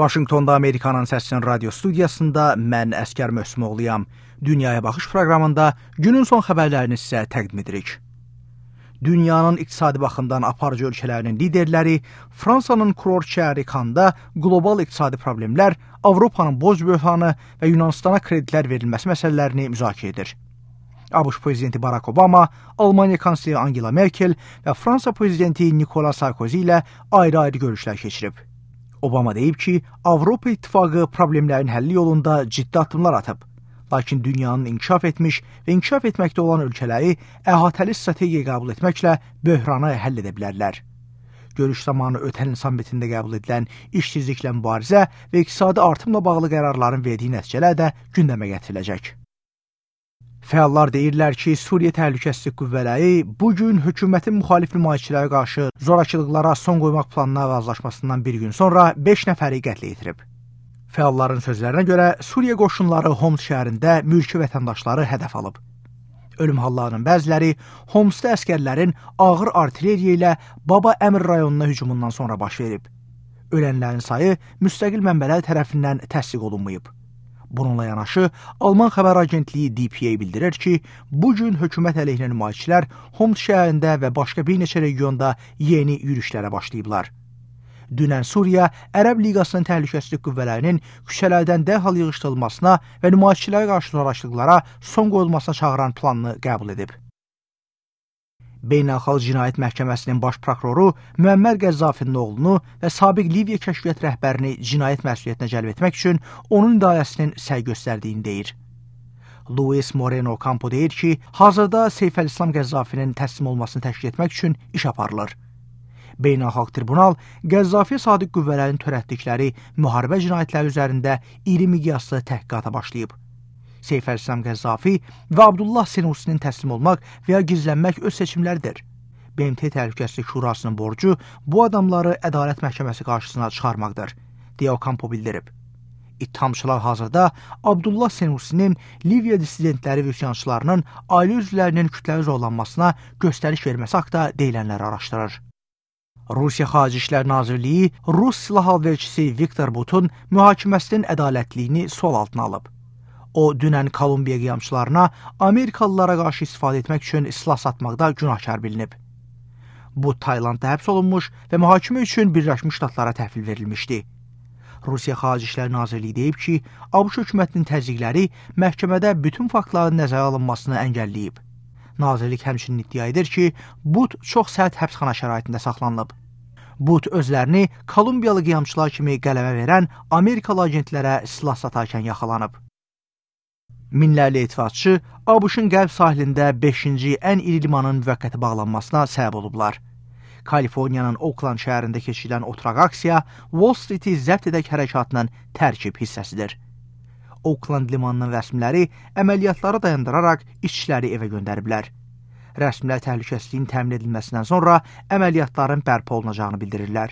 Vaşinqtonda Amerikanın Səsinin radio studiyasında mən Əskər Möhsümoğluyam. Dünyaya Baxış proqramında günün son xəbərlərini sizə təqdim edirik. Dünyanın iqtisadi baxımdan aparıcı ölkələrinin liderləri Fransanın kurort şəhəri Kanda qlobal iqtisadi problemlər, Avropanın borc böhranı və Yunanistana kreditlər verilməsi məsələlərini müzakirə edir. ABŞ prezidenti Barack Obama, Almaniya kansleri Angela Merkel və Fransa prezidenti Nicolas Sarkozy ilə ayrı-ayrı görüşlər keçirib. Obama deyib ki, Avropa İttifaqı problemlərin həlli yolunda ciddi addımlar atıb. Lakin dünyanın inkişaf etmiş və inkişaf etməkdə olan ölkələri əhatəli strategiya qəbul etməklə böhranı həll edə bilərlər. Görüş zamanı ötən il sammitində qəbul edilən işsizliklə mübarizə və iqtisadi artımla bağlı qərarların verdiyi nəticələr də gündəmə gətiriləcək. Fəallar deyirlər ki, Suriya Təhlükəsizlik Qüvvələri bugün hökumətin müxalif nümayişçilərə qarşı zorakılıqlara son qoymaq planına razılaşmasından bir gün sonra 5 nəfəri qətlə yetirib. Fəalların sözlərinə görə Suriya qoşunları Homs şəhərində mülki vətəndaşları hədəf alıb. Ölüm hallarının bəziləri Homsda əskərlərin ağır artilleriya ilə Baba Əmr rayonuna hücumundan sonra baş verib. Ölənlərin sayı müstəqil mənbələr tərəfindən təsdiq olunmayıb. Bununla yanaşı, Alman xəbər agentliyi DPA bildirir ki, bugün hökumət əleyhinə nümayişçilər Homs şəhərində və başqa bir neçə regionda yeni yürüşlərə başlayıblar. Dünən Suriya Ərəb Liqasının təhlükəsizlik qüvvələrinin küçələrdən dərhal yığışdırılmasına və nümayişçilərə qarşı zorakılıqlara son qoyulmasına çağıran planını qəbul edib. Beynəlxalq Cinayət Məhkəməsinin baş prokuroru Müəmmər Qəzzafinin oğlunu və sabiq Liviya kəşfiyyat rəhbərini cinayət məsuliyyətinə cəlb etmək üçün onun idarəsinin səy göstərdiyini deyir. Luis Moreno Campo deyir ki, hazırda Seyfəlislam Qəzzafinin təslim olmasını təşkil etmək üçün iş aparılır. Beynəlxalq Tribunal Qəzzafiyə sadiq qüvvələrin törətdikləri müharibə cinayətləri üzərində iri miqyaslı təhqiqata başlayıb. Seyfəlislam Qəzzafi və Abdullah Senusinin təslim olmaq və ya gizlənmək öz seçimləridir. BMT Təhlükəsizlik Şurasının borcu bu adamları ədalət məhkəməsi qarşısına çıxarmaqdır, deyə Campo bildirib. İttihamçılar hazırda Abdullah Senusinin Liviya dissidentləri və üsyançılarının ailə üzvlərinin kütləvi zorlanmasına göstəriş verməsi haqda deyilənləri araşdırır. Rusiya Xarici İşlər Nazirliyi Rus silah alverçisi Viktor Butun mühakiməsinin ədalətliyini sual altına alıb. O, dünən Kolumbiya qiyamçılarına Amerikalılara qarşı istifadə etmək üçün silah satmaqda günahkar bilinib. Bu, Taylandda həbs olunmuş və mühakimə üçün Birləşmiş Ştatlara təhvil verilmişdi. Rusiya Xarici İşlər Nazirliyi deyib ki, ABŞ hökumətinin təzyiqləri məhkəmədə bütün faktların nəzərə alınmasını əngəlləyib. Nazirlik həmçinin iddia edir ki, But çox sərt həbsxana şəraitində saxlanılıb. But özlərini Kolumbiyalı qiyamçılar kimi qələmə verən Amerikalı agentlərə silah satarkən yaxalanıb. Minlərlə etirazçı ABŞ-ın qərb sahilində 5-ci ən iri limanın müvəqqəti bağlanmasına səbəb olublar. Kaliforniyanın Oakland şəhərində keçirilən oturaq aksiya Wall Street-i zəbt edək hərəkatının tərkib hissəsidir. Oakland limanının rəsmiləri əməliyyatları dayandıraraq işçiləri evə göndəriblər. Rəsmilər təhlükəsizliyin təmin edilməsindən sonra əməliyyatların bərpa olunacağını bildirirlər.